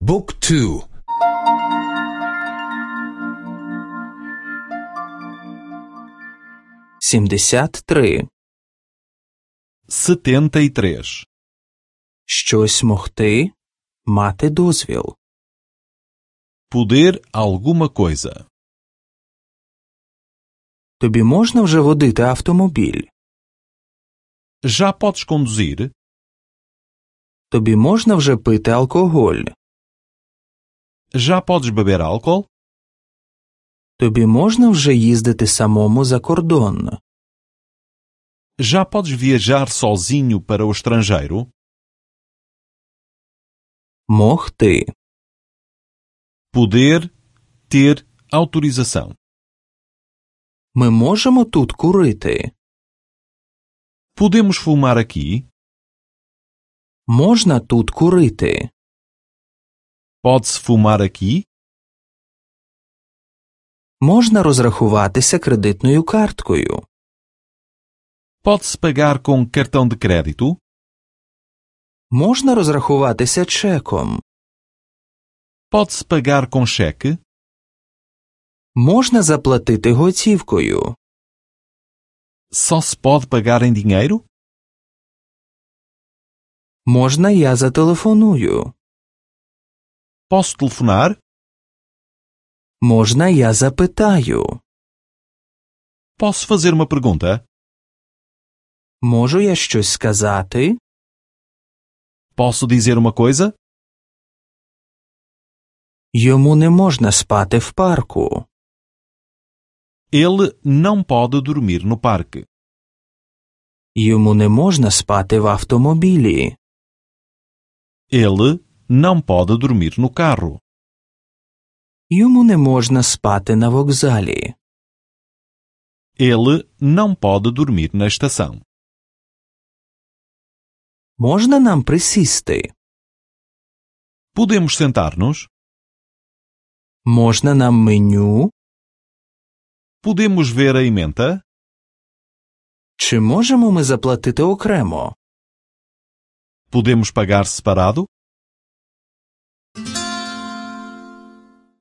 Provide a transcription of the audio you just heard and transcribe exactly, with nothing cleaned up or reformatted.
Book two. сімдесят три. setenta e três. Щось могти, мати дозвіл. Poder alguma coisa. Тобі можна вже водити автомобіль? Já podes conduzir? Тобі можна вже пити алкоголь? Já podes beber álcool? Тобі можна вже їздити самому за кордон? Já podes viajar sozinho para o estrangeiro? Могти. Poder ter autorização. Ми можемо тут курити? Podemos fumar aqui? Можна тут курити? Pode-se fumar aqui? Можна розрахуватися кредитною карткою? Pode-se pagar com cartão de crédito? Можна розрахуватися чеком? Pode-se pagar com cheque? Можна заплатити готівкою? Só se pode pagar em dinheiro? Можна я зателефоную? Posso telefonar? Можна я запитаю? Posso fazer uma pergunta? Можу я щось сказати? Posso dizer uma coisa? Йому не можна спати в парку. Ele não pode dormir no parque. Йому не можна спати в автомобілі. Ele não pode dormir no carro. Йому не можна спати на вокзалі. Ele não pode dormir na estação. Можна нам присісти? Podemos sentar-nos? Можна нам меню? Podemos ver a ementa? Чи можемо ми заплатити окремо? Podemos pagar separado?